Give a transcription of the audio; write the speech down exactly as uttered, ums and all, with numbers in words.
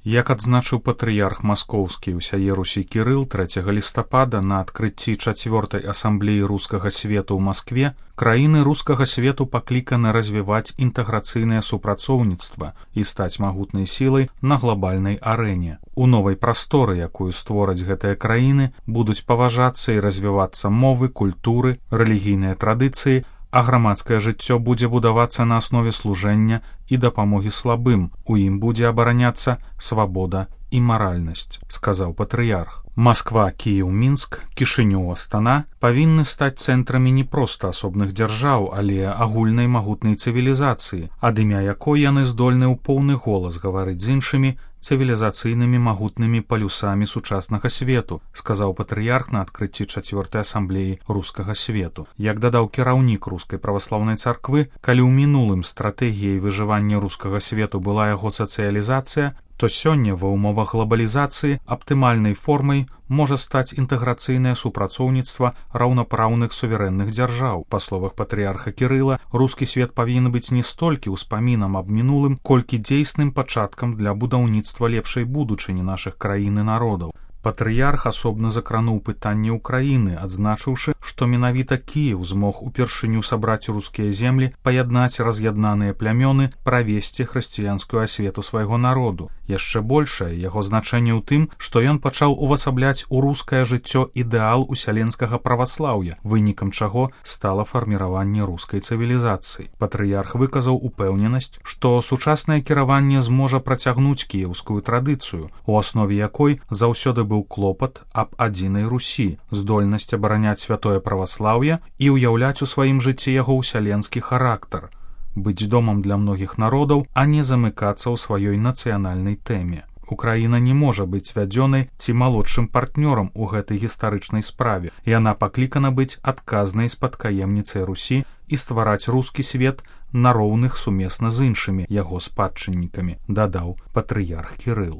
Як адзначыў патрыярх маскоўскі ўсяе Русі Кірыл трэцяга лістапада на адкрыцці чацвёртай асамблеі рускага свету ў Маскве, краіны рускага свету пакліканы развіваць інтэграцыйнае супрацоўніцтва і стаць магутнай сілай на глобальнай арэне. У новай прасторы, якую створаць гэтыя краіны, будуць паважацца і развівацца мовы, культуры, рэлігійныя традыцыі, а грамадскае жыццё будзе будавацца на аснове служэння і дапамогі слабым. У ім будзе абараняцца свабода і маральнасць, сказаў патрыярх. Масква, Кіеў, Мінск, Кішынёў, Астана павінны стаць цэнтрамі не проста асобных дзяржаў, але агульнай магутнай цывілізацыі, ад імя якой яны здольны ў поўны голас гаварыць з іншымі цывілізацыйнымі магутнымі палюсамі сучаснага свету, сказаў патрыярх на адкрыцці чацвёртай асамблеі рускага свету. Як дадаў кіраўнік рускай праваслаўнай царквы, калі ў мінулым стратэгіяй выжывання рускага свету была яго сацыялізацыя, то сёння ва ўмовах глобалізацыі аптымальнай формай можа стаць інтэграцыйнае супрацоўніцтва раўнапраўных суверэнных дзяржаў. Па словах патрыярха Кірыла, рускі свет павінен быць не столькі ўспамінам аб мінулым, колькі дзейсным пачаткам для будаўніцтва лепшай будучыні нашых краін і народаў. Патрыярх асобна закрануў пытанне ўкраіны, адзначыўшы, што менавіта Кіеў змог упершыню сабраць рускія землі, паяднаць раз'яднаныя плямёны, правесці хрысціянскую асвету свайго народу. Яшчэ большае яго значэнне ў тым, што ён пачаў увасабляць у рускае жыццё ідэал усяленскага праваслаўя, вынікам чаго стала фарміраванне рускай цывілізацыі. Патрыярх выказаў упэўненасць, што сучаснае кіраванне зможа працягнуць кіеўскую традыцыю, у аснове якой заўсёды быў клопат аб адзінай Русі, здольнасць абараняць святое праваслаўе і ўяўляць у сваім жыцці яго ўсяленскі характар, быць домам для многіх народаў, а не замыкацца ў сваёй нацыянальнай тэме. Украіна не можа быць вядзёнай ці малодшым партнёрам у гэтай гістарычнай справе. Яна паклікана быць адказнай спадкаемніцай Русі і ствараць рускі свет на роўных сумесна з іншымі яго спадчыннікамі, дадаў патрыярх Кірыл.